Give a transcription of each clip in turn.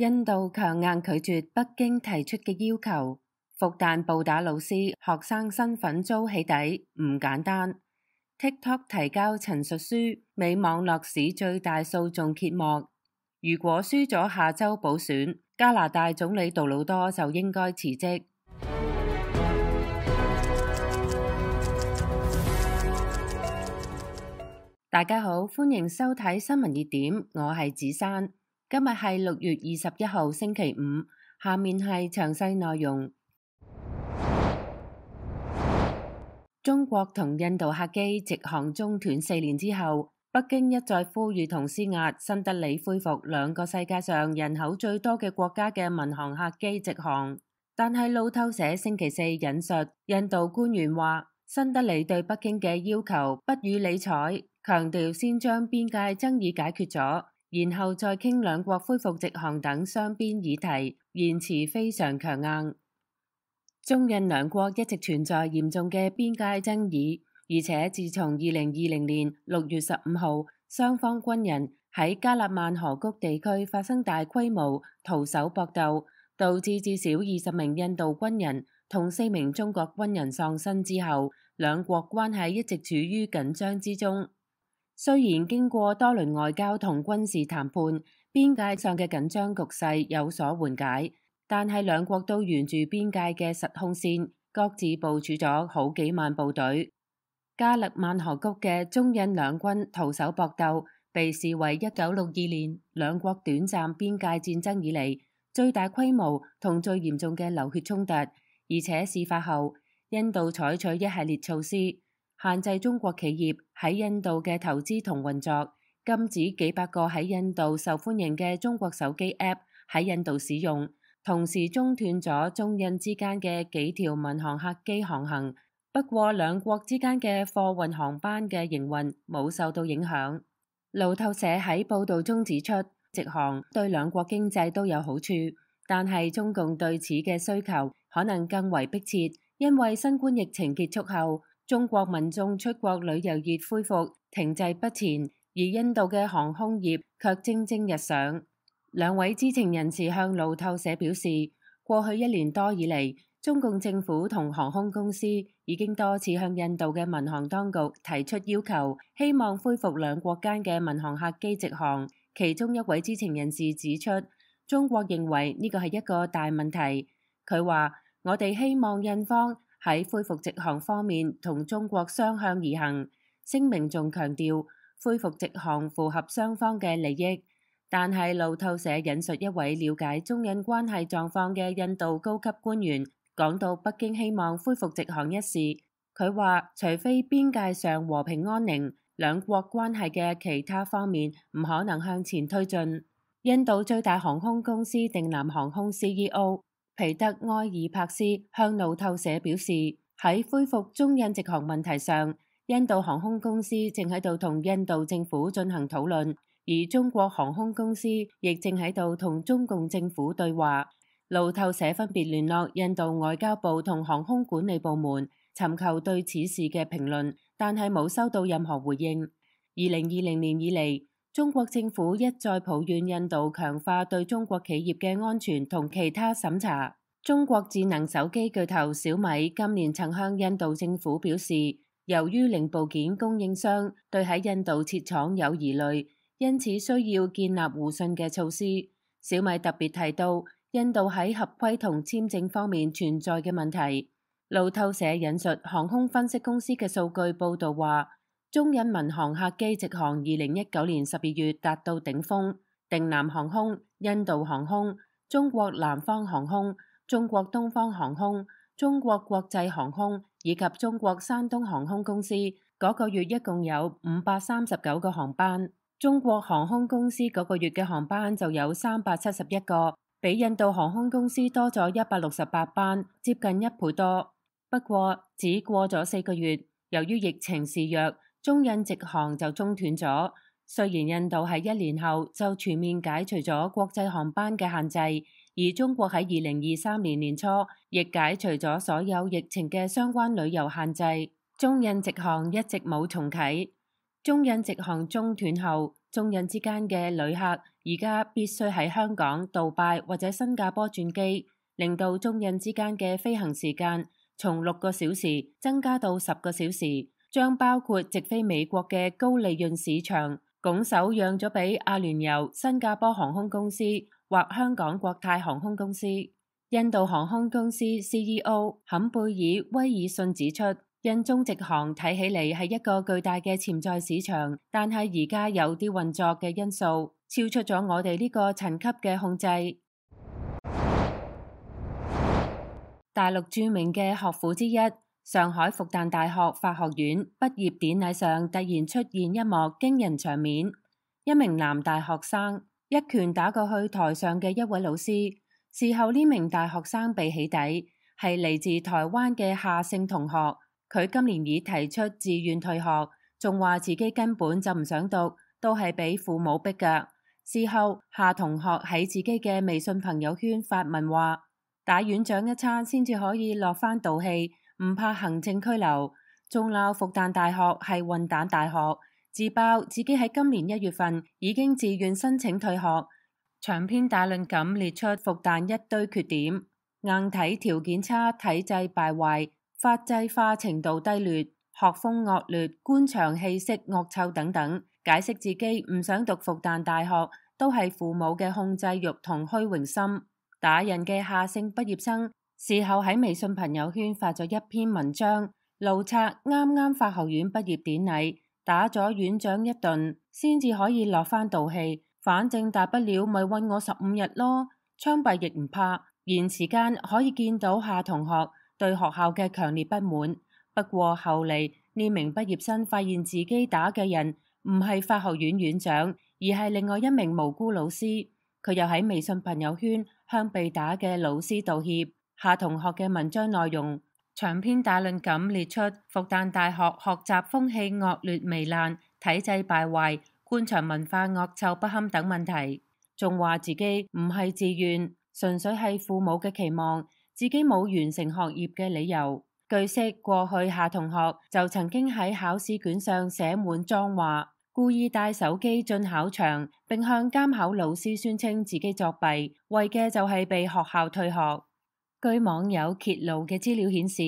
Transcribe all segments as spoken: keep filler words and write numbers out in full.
印度強硬拒絕北京提出嘅要求，復旦暴打老師，學生身份遭起底，唔簡單。TikTok 提交陳述書，美網絡史最大訴訟揭幕。如果輸咗下週補選，加拿大總理杜魯多就應該辭職。大家好，歡迎收睇新聞熱點，我係子珊。今日係六月二十一號星期五，下面係詳細內容。中國同印度客機直航中斷四年之後，北京一再呼籲同施壓新德里恢復兩個世界上人口最多嘅國家嘅民航客機直航。但係路透社星期四引述印度官員話，新德里對北京嘅要求不予理睬，強調先將邊界爭議解決咗，然後再傾兩國恢復直航等雙邊議題，言辭非常強硬。中印兩國一直存在嚴重嘅邊界爭議，而且自從二零二零年六月十五號，雙方軍人喺加勒萬河谷地區發生大規模徒手搏鬥，導致至少二十名印度軍人同四名中國軍人喪生之後，兩國關係一直處於緊張之中。雖然經過多輪外交同軍事談判，邊界上嘅緊張局勢有所緩解，但係兩國都沿住邊界嘅實控線，各自部署咗好幾萬部隊。加勒萬河谷嘅中印兩軍徒手搏鬥，被視為一九六二年兩國短暫邊界戰爭以嚟最大規模同最嚴重嘅流血衝突，而且事發後，印度採取一系列措施，限制中國企業喺印度嘅投資同運作，禁止幾百個喺印度受歡迎嘅中國手機 App 喺印度使用，同時中斷咗中印之間嘅幾條民航客機航行。不過兩國之間嘅貨運航班嘅營運冇受到影響。路透社喺報導中指出，直航對兩國經濟都有好處，但係中共對此嘅需求可能更為迫切，因為新冠疫情結束後，中國民眾出國旅遊業恢復停滯不前，而印度嘅航空業卻蒸蒸日上。兩位知情人士向路透社表示，過去一年多以嚟，中共政府同航空公司已經多次向印度嘅民航當局提出要求，希望恢復兩國間嘅民航客機直航。其中一位知情人士指出，中國認為呢個係一個大問題。佢話：我哋希望印方喺恢復直航方面同中國相向而行。聲明仲強調，恢復直航符合雙方嘅利益。但係路透社引述一位了解中印關係狀況嘅印度高級官員講到北京希望恢復直航一事，佢話除非邊界上和平安寧，兩國關係嘅其他方面唔可能向前推進。印度最大航空公司定南航空 C E O 皮特埃爾帕斯向路透社表示，喺恢復中印直航問題上，印度航空公司正喺度同印度政府進行討論，而中國航空公司亦正喺度同中共政府對話。路透社分別聯絡印度外交部同航空管理部門，尋求對此事嘅評論，但係冇收到任何回應。二零二零年以嚟，中國政府一再抱怨印度強化對中國企業嘅安全同其他審查。中國智能手機巨頭小米今年曾向印度政府表示，由於零部件供應商對喺印度設廠有疑慮，因此需要建立互信嘅措施。小米特別提到印度喺合規同簽證方面存在嘅問題。路透社引述航空分析公司嘅數據報導話，中印民航客機直航二零一九年十二月達到頂峰，定南航空、印度航空、中國南方航空、中國東方航空、中國國際航空以及中國山東航空公司嗰個月一共有五百三十九個航班，中國航空公司嗰個月嘅航班就有三百七十一個，比印度航空公司多咗一百六十八班，接近一倍多。不過只過咗四個月，由於疫情肆虐，中印直航就中斷咗。雖然印度喺一年後就全面解除咗國際航班嘅限制，而中國喺二零二三年年初亦解除咗所有疫情嘅相關旅遊限制，中印直航一直冇重啟。中印直航中斷後，中印之間嘅旅客而家必須喺香港、杜拜或者新加坡轉機，令到中印之間嘅飛行時間從六個小時增加到十個小時，將包括直飛美國嘅高利潤市場，拱手讓咗俾阿聯酋、新加坡航空公司或香港國泰航空公司。印度航空公司 C E O 坎貝爾威爾遜指出，印中直航睇起嚟係一個巨大嘅潛在市場，但係而家有啲運作嘅因素超出咗我哋呢個層級嘅控制。大陸著名嘅學府之一，上海復旦大學法學院畢業典禮上突然出現一幕驚人場面，一名男大學生一拳打過去台上嘅一位老師。事後呢名大學生被起底，係嚟自台灣嘅夏姓同學。佢今年已提出自願退學，仲話自己根本就唔想讀，都係俾父母逼㗎。事後夏同學喺自己嘅微信朋友圈發文話，打院長一餐先至可以落返道氣，唔怕行政拘留，仲鬧復旦大學係混蛋大學，自爆自己喺今年一月份已經自願申請退學。長篇大論咁列出復旦一堆缺點，硬體條件差、體制敗壞、法制化程度低劣、學風惡劣、官場氣息惡臭等等，解釋自己唔想讀復旦大學都係父母嘅控制欲同虛榮心。打人嘅夏姓畢業生事後喺微信朋友圈發咗一篇文章，怒斥啱啱法學院畢業典禮打咗院長一頓先至可以落返道氣。反正大不了咪韞我十五日咯，槍斃亦唔怕。言辭間可以見到夏同學對學校嘅強烈不滿。不過後嚟呢名畢業生發現自己打嘅人唔係法學院院長，而係另外一名無辜老師。佢又喺微信朋友圈向被打嘅老師道歉。夏同學嘅文章內容長篇大論咁列出復旦大學學習風氣惡劣糜爛、體制敗壞、官場文化惡臭不堪等問題，仲話自己唔係自願，純粹係父母嘅期望，自己冇完成學業嘅理由。據悉，過去夏同學就曾經喺考試卷上寫滿髒話，故意帶手機進考場，並向監考老師宣稱自己作弊，為嘅就係被學校退學。據網友揭露嘅資料顯示，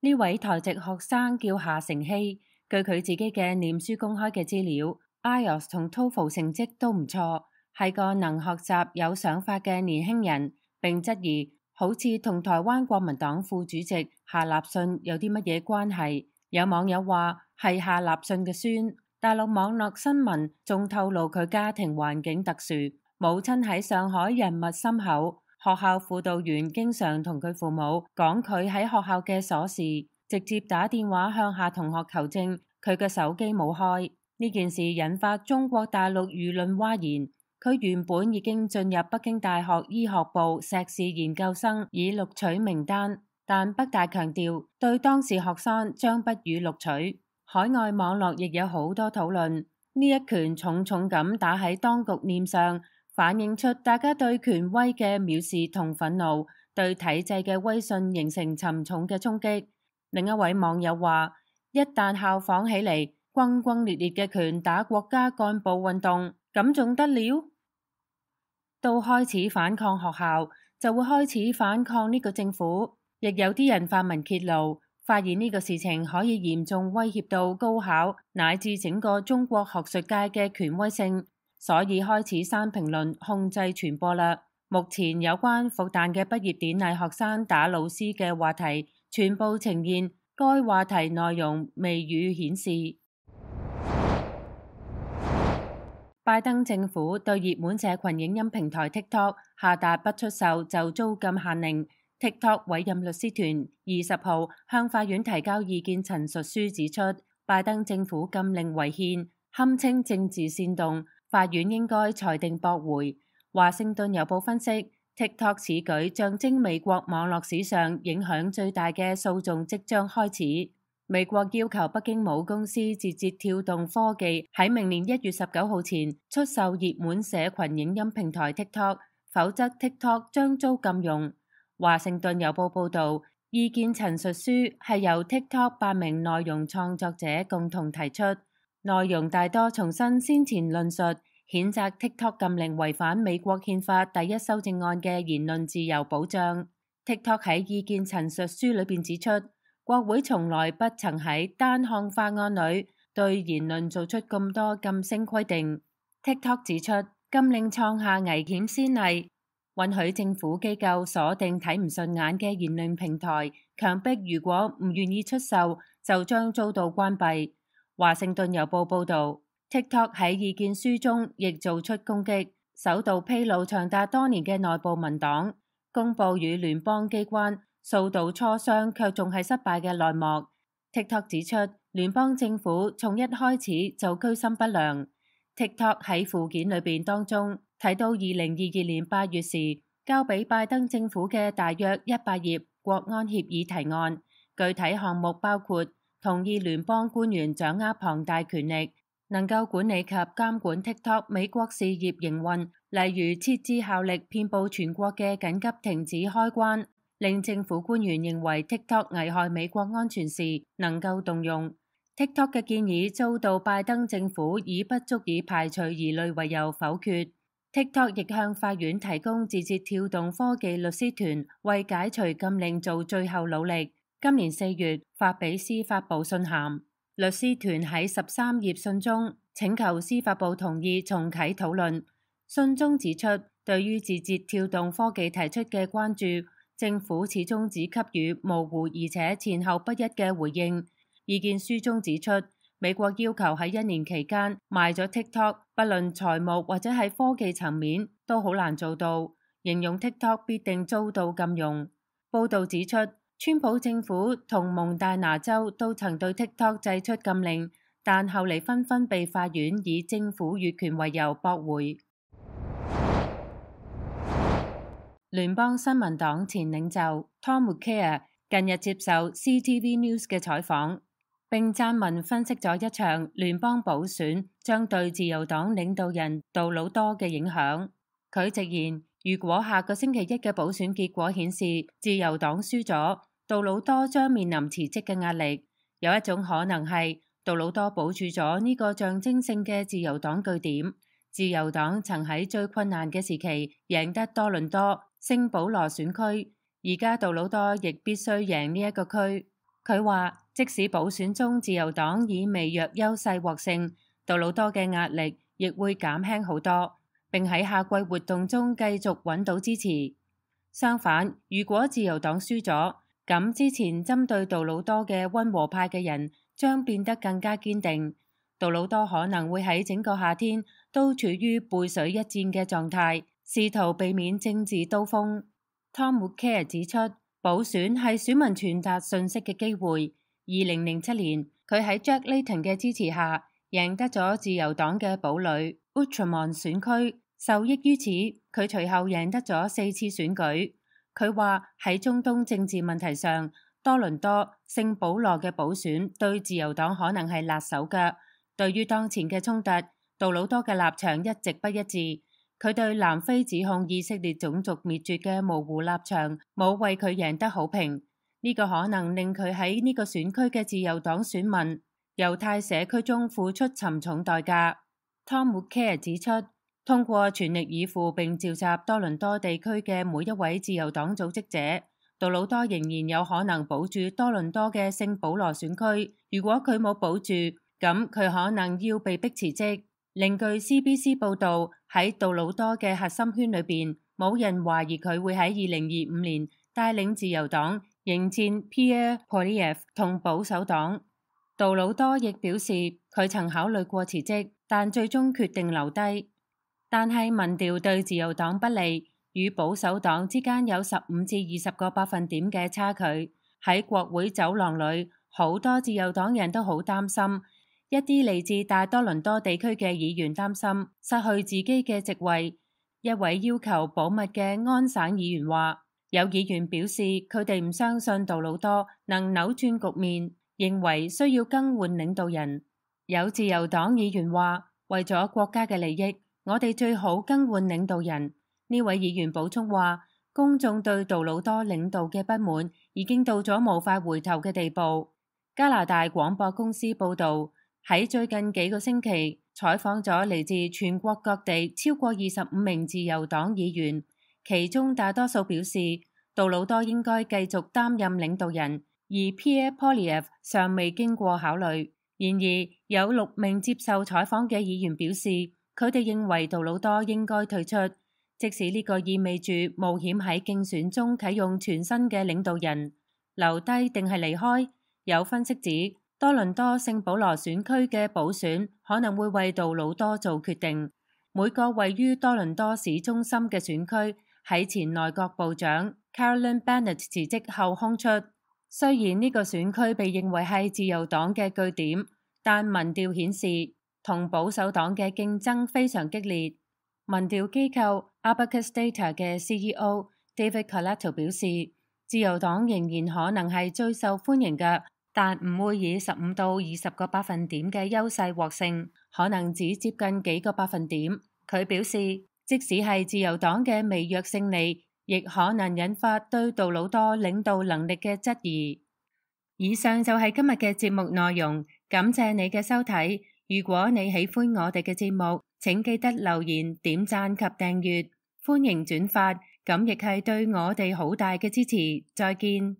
呢位台籍學生叫夏成希，據佢自己嘅臉書公開嘅資料，I E L T S 同 TOEFL 成績都唔錯，係個能學習有想法嘅年輕人，並質疑好似同台灣國民黨副主席夏立信有啲乜嘢關係。有網友話係夏立信嘅孫。大陸網絡新聞仲透露佢家庭環境特殊，母親喺上海人脈深厚，學校輔導員經常同佢父母講佢喺學校嘅瑣事，直接打電話向夏同學求證佢嘅手機冇開。呢件事引發中國大陸輿論譁然。佢原本已經進入北京大學醫學部碩士研究生已錄取名單，但北大強調對當事學生將不予錄取。海外網絡亦有好多討論，呢一拳重重咁打喺當局臉上，反映出大家對權威嘅藐視同憤怒，對體制嘅威信形成沉重嘅衝擊。另一位網友話，一旦效仿起嚟，轟轟烈烈嘅拳打國家幹部運動，咁仲得了？到開始反抗學校，就會開始反抗呢個政府。亦有啲人發文揭露，發現呢個事情可以嚴重威脅到高考乃至整個中國學術界嘅權威性，所以開始刪評論，控制傳播啦。目前有關復旦嘅畢業典禮學生打老師嘅話題，全部呈現該話題內容未予顯示。拜登政府對熱門社群影音平台 TikTok 下達不出售就租金限令。TikTok 委任律師團二十號向法院提交意見陳述書，指出拜登政府禁令違憲，堪稱政治煽動，法院應該裁定駁回。華盛頓郵報分析 TikTok 此舉象徵美國網絡史上影響最大嘅訴訟即將開始。美國要求北京母公司字節跳動科技喺明年一月十九號前出售熱門社群影音平台 TikTok， 否則 TikTok 將遭禁用。華盛頓郵報報導，意見陳述書係由 TikTok 八名內容創作者共同提出，內容大多重申先前論述，譴責 TikTok 禁令違反美國憲法第一修正案嘅言論自由保障。TikTok 喺意見陳述書裏邊指出，國會從來不曾喺單項法案裏對言論做出咁多禁聲規定。TikTok 指出，禁令創下危險先例，允許政府機構鎖定睇唔順眼嘅言論平台，強迫如果唔願意出售，就將遭到關閉。華盛頓郵報報導，TikTok 喺意見書中亦做出攻擊，首度披露長達多年嘅內部文檔，公佈與聯邦機關數度磋商卻仲係失敗嘅內幕。TikTok 指出，聯邦政府從一開始就居心不良。TikTok 喺附件裏邊當中睇到二零二二年八月時交俾拜登政府嘅大約一百頁國安協議提案，具體項目包括同意聯邦官員掌握龐大權力，能夠管理及監管 TikTok 美國事業營運，例如設置效力遍佈全國嘅緊急停止開關，令政府官員認為 TikTok 危害美國安全時能夠動用。TikTok 嘅建議遭到拜登政府以不足以排除疑慮為由否決。TikTok 亦向法院提供字節跳動科技律師團為解除禁令做最後努力。今年四月發俾司法部信函，律師團喺十三頁信中請求司法部同意重啟討論。信中指出，對於字節跳動科技提出嘅關注，政府始終只給予模糊而且前後不一嘅回應。意見書中指出，美國要求喺一年期間賣咗 TikTok， 不論財務或者係科技層面都好難做到，形容 TikTok 必定遭到禁用。報導指出，川普政府同蒙大拿州都曾對 TikTok 祭出禁令，但後嚟紛紛被法院以政府越權為由駁回。聯邦新聞黨前領袖 Tom Mulcair 近日接受 C T V News 嘅採訪，並撰文分析咗一場聯邦補選將對自由黨領導人杜魯多嘅影響。佢直言，如果下個星期一嘅補選結果顯示自由黨輸咗，杜魯多將面臨辭職嘅壓力。有一種可能係杜魯多保住咗呢個象徵性嘅自由黨據點。自由黨曾喺最困難嘅時期贏得多倫多、聖保羅選區，而家杜魯多亦必須贏呢一個區。佢話，即使補選中自由黨以微弱優勢獲勝，杜魯多嘅壓力亦會減輕好多，並喺夏季活動中繼續揾到支持。相反，如果自由黨輸咗，咁之前針對杜魯多嘅溫和派嘅人將變得更加堅定。杜魯多可能會喺整個夏天都處於背水一戰嘅狀態，試圖避免政治刀鋒。Tom Mulcair 指出，補選係選民傳達訊息嘅機會。二零零七年，佢喺 Jack Layton 嘅支持下贏得咗自由黨嘅堡壘 Outramont 選區，受益於此，佢隨後贏得咗四次選舉。佢話喺中東政治問題上，多倫多、聖保羅嘅補選對自由黨可能係辣手腳。對於當前嘅衝突，杜魯多嘅立場一直不一致。佢對南非指控以色列種族滅絕嘅模糊立場冇為佢贏得好評，呢個可能令佢喺呢個選區嘅自由黨選民、猶太社區中付出沉重代價。Tom Mulcair 指出，通過全力以赴並召集多倫多地區嘅每一位自由黨組織者，杜魯多仍然有可能保住多倫多嘅聖保羅選區。如果佢冇保住，咁佢可能要被逼辭職。另據 C B C 報導，喺杜魯多嘅核心圈裏邊，冇人懷疑佢會喺二零二五年帶領自由黨迎戰 Pierre Poilievre 同保守黨。杜魯多亦表示佢曾考慮過辭職，但最終決定留低。但係民調對自由黨不利，與保守黨之間有十五至二十個百分點嘅差距。喺國會走廊裏，好多自由黨人都好擔心。一啲嚟自大多倫多地區嘅議員擔心失去自己嘅席位。一位要求保密嘅安省議員話，有議員表示佢哋唔相信杜魯多能扭轉局面，認為需要更換領導人。有自由黨議員話，為咗國家嘅利益，我哋最好更換領導人。呢位議員補充話，公眾對杜魯多領導嘅不滿已經到咗無法回頭嘅地步。加拿大廣播公司報導，喺最近幾個星期，採訪咗嚟自全國各地超過二十五名自由黨議員，其中大多數表示杜魯多應該繼續擔任領導人，而 Pierre Poilievre 尚未經過考慮。然而，有六名接受採訪嘅議員表示，佢哋認為杜魯多應該退出，即使呢個意味住冒險喺競選中啟用全新嘅領導人，留低定係離開。有分析指，多倫多聖保羅選區嘅補選可能會為杜魯多做決定。每個位於多倫多市中心嘅選區喺前內閣部長 Carolyn Bennett 辭職後空出。雖然呢個選區被認為係自由黨嘅據點，但民調顯示同保守黨嘅競爭非常激烈。民調機構 Abacus Data 嘅 C E O David Coletto 表示，自由黨仍然可能係最受歡迎嘅，但唔會以十五到二十個百分點嘅優勢獲勝，可能只接近幾個百分點。佢表示，即使係自由黨嘅微弱勝利，亦可能引發對杜魯多領導能力嘅質疑。以上就係今日嘅節目內容，感謝你嘅收睇。如果你喜歡我哋嘅節目，請記得留言、點讚及訂閱，歡迎轉發，咁亦係對我哋好大嘅支持。再見。